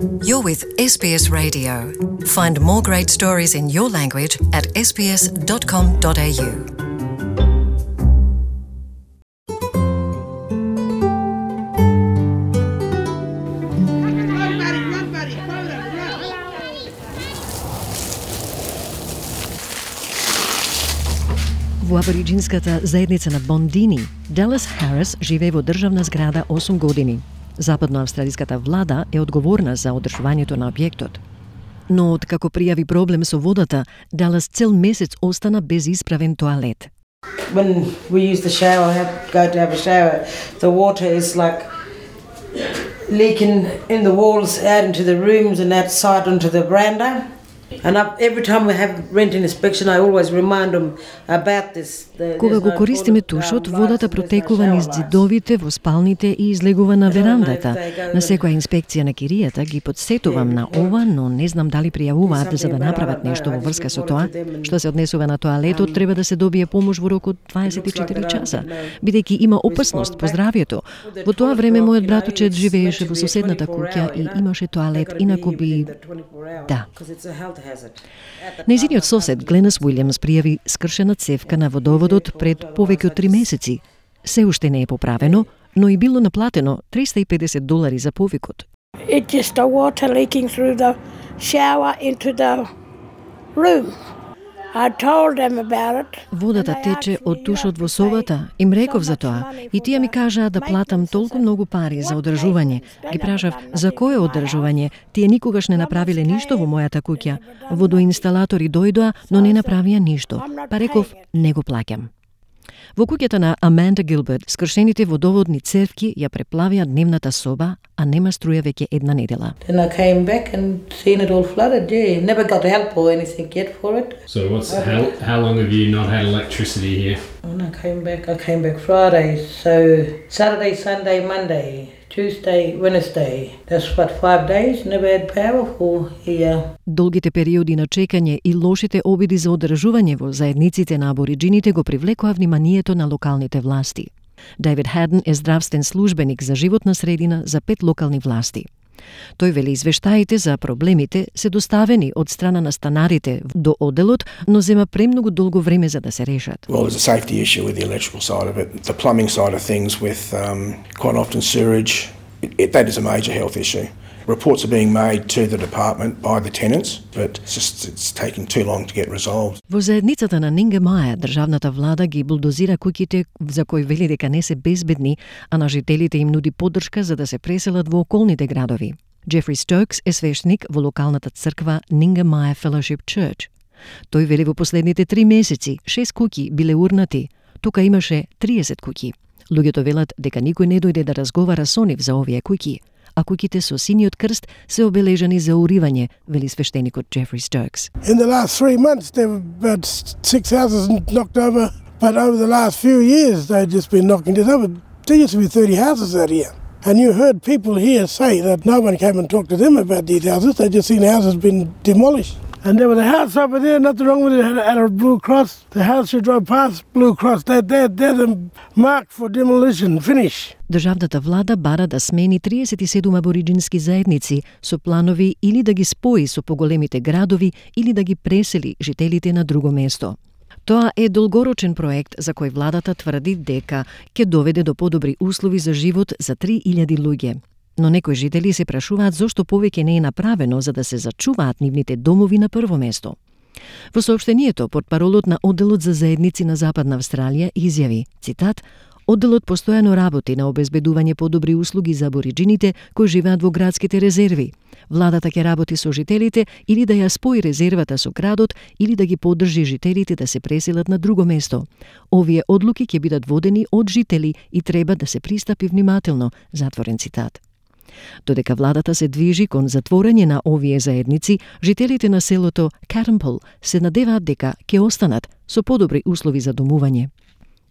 You're with SBS Radio. Find more great stories in your language at sbs.com.au. Во абориджинската заедница на Бондини, Далас Харис живее во државна зграда 8 години. Западноавстралиската влада е одговорна за одржувањето на објектот. Но откако пријави проблем со водата, Далас цел месец остана без исправен тоалет. When we use the shower, go to have a shower, the water is like leaking in the walls out into the rooms and outside onto the veranda. And every time we have rent inspection, I always remind them about this. Кога го користиме тушот, водата протекува низ ѕидовите, во спалните и излегува на верандата. На секоја инспекција на киријата ги подсетувам на ова, но не знам дали пријавуваат за да направат нешто во врска со тоа. Што се однесува на тоалетот, треба да се добие помош во рок од 24 часа, бидејќи има опасност по здравјето. Во тоа време мојот братучет живееше во соседната куќа и имаше тоалет, инаку би... Да. Нејзиниот сосед Гленас Уилјамс пријави скршена цевка на водоводот пред повеќе од 3 месеци. Се уште не е поправено, но и било наплатено $350 за повикот. It's just the water leaking through the shower into the room. I told them about it. Водата тече од тушот во собата. Им реков за тоа и тие ми кажаа да платам толку многу пари за одржување. Ги прашав за кое одржување. Тие никогаш не направиле ништо во мојата куќа. Водоинсталатори дојдоа, но не направија ништо. Па реков, не го плаќам. Во куќата на Аманда Гилберт, скршените водоводни цевки ја преплавија дневната соба, а нема струја веќе една недела. Then I came back and seen it all flooded. Yeah, never got help or anything yet for it. So how long have you not had electricity here? When I came back Friday. So Saturday, Sunday, Monday, Tuesday, Wednesday. That's what, 5 days never had power for here. Долгите периоди на чекање и лошите обиди за одржување во заедниците на абориджините го привлекоа вниманието на локалните власти. Дейвид Хаден е здравствен службеник за животна средина за 5 локални власти. Тој вели извештаите за проблемите се доставени од страна на станарите до одделот, но зема премногу долго време за да се решат. Well, there's a safety issue with the electrical side of it. The plumbing side of things with quite often sewage, that is a major health issue. Reports are being made to the department by the tenants, but it's taking too long to get resolved. Во заедницата на Нинга Маја, државната влада ги булдозира куќите за кои вели дека не се безбедни, а на жителите им нуди поддршка за да се преселат во околните градови. Джефри Стокс е свештеник во локалната црква Нинга Маја Fellowship Church. Тој вели во последните 3 месеци 6 куќи биле урнати, тука имаше 30 куќи. Луѓето велат дека никој не дојде да разговара со нив за овие куќи, а куќите со синиот крст се обележани за уривање, вели свештеникот Джефри Стокс. In the last 3 months there were about 6 houses knocked over, but over the last few years they've just been knocking it over. There used to be 30 houses out here. And you heard people here say that no one came and talked to them about these houses. They just seen houses been demolished. And there was a house over there, nothing wrong with it, had a blue cross. The house you drove past, blue cross. They're the mark for demolition, finish. Државната влада бара да смени 37 абориджински заедници со планови или да ги спои со поголемите градови или да ги пресели жителите на друго место. Тоа е долгорочен проект за кој владата тврди дека ќе доведе до подобри услови за живот за 3000 луѓе. Но некои жители се прашуваат зошто повеќе не е направено за да се зачуваат нивните домови на прво место. Во соопштението под паролот на Одделот за заедници на Западна Австралија изјави, цитат, Одделот постојано работи на обезбедување подобри услуги за абориджините кои живеат во градските резерви. Владата ќе работи со жителите или да ја спои резервата со градот или да ги поддржи жителите да се преселат на друго место. Овие одлуки ќе бидат водени од жители и треба да се пристапи внимателно, затворен цитат. Додека владата се движи кон затворање на овие заедници, жителите на селото Catterpole се надеваат дека ќе останат со подобри услови за домување.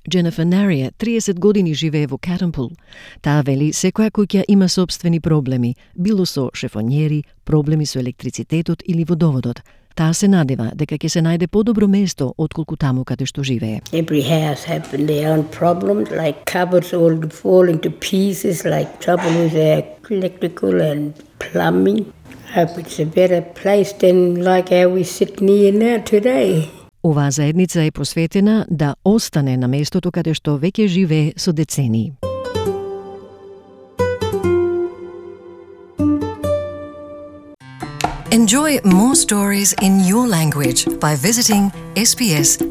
Дженефер Нарија, 30 години живее во Catterpole. Таа вели секоја куќа има собствени проблеми, било со шефонјери, проблеми со електрицитетот или водоводот. Таа се надева дека ќе се најде подобро место отколку таму каде што живее. Every house have their own problems, like cupboards all fall into pieces, like trouble with their electrical and plumbing. Hope it's a better place than like how we sit near now today. Оваа заедница е посветена да остане на местото каде што веќе живее со децении. Enjoy more stories in your language by visiting sbs.com.au.